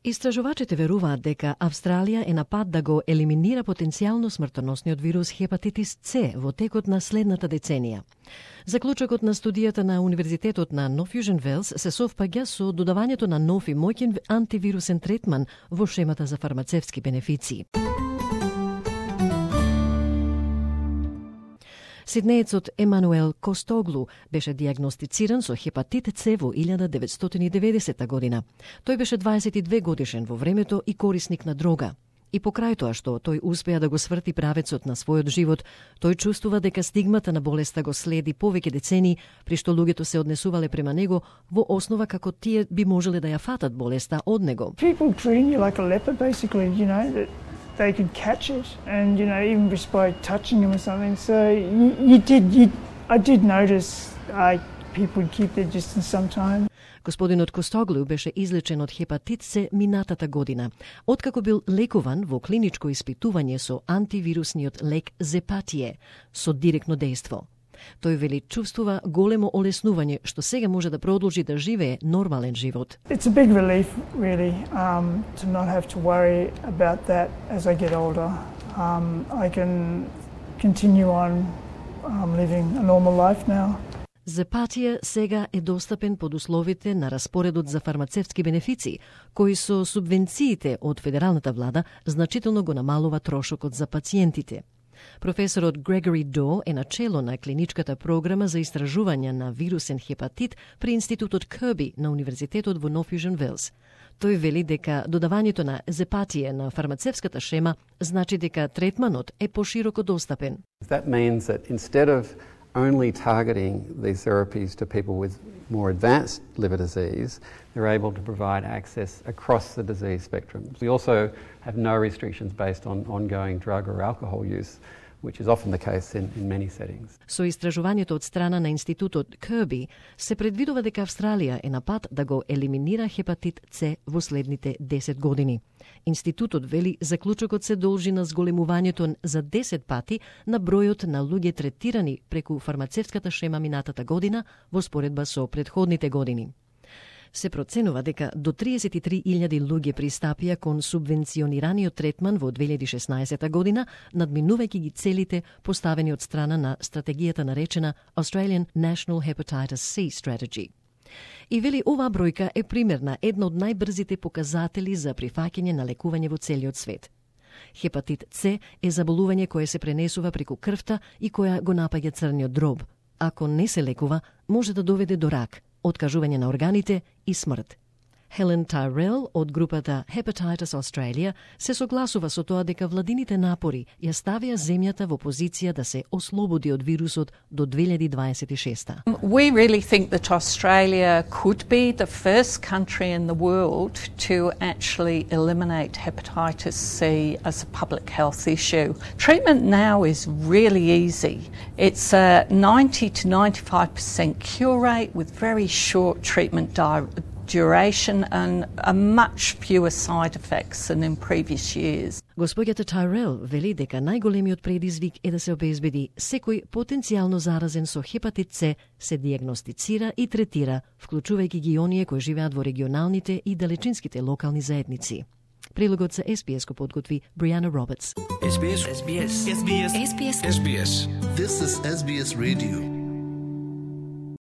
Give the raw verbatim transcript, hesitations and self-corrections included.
Истражувачите веруваат дека Австралија е на пат да го елиминира потенцијално смртоносниот вирус хепатитис С во текот на следната деценија. Заклучокот на студијата на Универзитетот на Нов Јужен Велс се совпаѓа со додавањето на нов и моќен антивирусен третман во шемата за фармацевтски бенефиции. Сиднеецот Емануел Костоглу беше диагностициран со хепатит С во илјада деветстотини и деветдесета година. Тој беше дваесет и две годишен во времето и корисник на дрога. И покрај тоа што тој успеа да го сврти правецот на својот живот, тој чувствува дека стигмата на болеста го следи повеќе децении, при што луѓето се однесувале према него во основа како тие би можеле да ја фатат болеста од него. People treat you like a leper, basically, you know, that they could catch it, and you know, even just by touching them or something. So you, you did, you, I did notice uh, people would keep their distance sometimes. Господинот Костоглу беше излечен од хепатит С минатата година, откако бил лекуван во клиничко испитување со антивирусниот лек Зепатие со директно дејство. Тој вели чувствува големо олеснување што сега може да продолжи да живее нормален живот. It's a big relief really um, to not have to worry about that as I get older. Um, I can continue on um, living a normal life now. Зепатија сега е достапен под условите на распоредот за фармацевтски бенефиции, кои со субвенциите од федералната влада значително го намалува трошокот за пациентите. Професорот Грегори До е начело на клиничката програма за истражување на вирусен хепатит при Институтот Кирби на Универзитетот во Нов Јужен Велс. Тој вели дека додавањето на Зепатија на фармацевската шема значи дека третманот е пошироко достапен. That means that instead of only targeting these therapies to people with more advanced liver disease, they're able to provide access across the disease spectrum. We also have no restrictions based on ongoing drug or alcohol use, which is often the case in, in many settings. Со истражувањето од страна на Институтот Кирби се предвидува дека Австралија е на пат да го елиминира хепатит С во следните десет години. Институтот вели заклучокот се должи на зголемувањето за десет пати на бројот на луѓе третирани преку фармацевтската шема минатата година во споредба со претходните години. Се проценува дека до триесет и три илјади луѓе пристапија кон субвенционираниот третман во две илјади и шеснаесета година, надминувајќи ги целите поставени од страна на стратегијата наречена Australian National Hepatitis C Strategy. И вели оваа бројка е пример на една од најбрзите показатели за прифаќање на лекување во целиот свет. Хепатит С е заболување кое се пренесува преку крвта и која го напаѓа црниот дроб. Ако не се лекува, може да доведе до рак, откажување на органите и смрт. Хелен Тайрел од групата Hepatitis Australia се согласува со тоа дека владините напори ја ставија земјата во позиција да се ослободи од вирусот до две илјади дваесет и шеста. We really think that Australia could be the first country in the world to actually eliminate hepatitis C as a public health issue. Treatment now is really easy. It's a ninety to ninety-five percent cure rate with very short treatment di- duration and a much fewer side effects than in previous years. Господјата Тайрел вели дека најголемиот предизвик е да се обезбеди секој потенцијално заразен со хепатит С се диагностицира и третира, вклучувајќи ги оние кои живеат во регионалните и далечинските локални заедници. Прилогот за Ес Би Ес го подготви Бријана Робертс. Ес Би Ес. Ес Би Ес. Ес Би Ес. Ес Би Ес. This is Ес Би Ес Radio.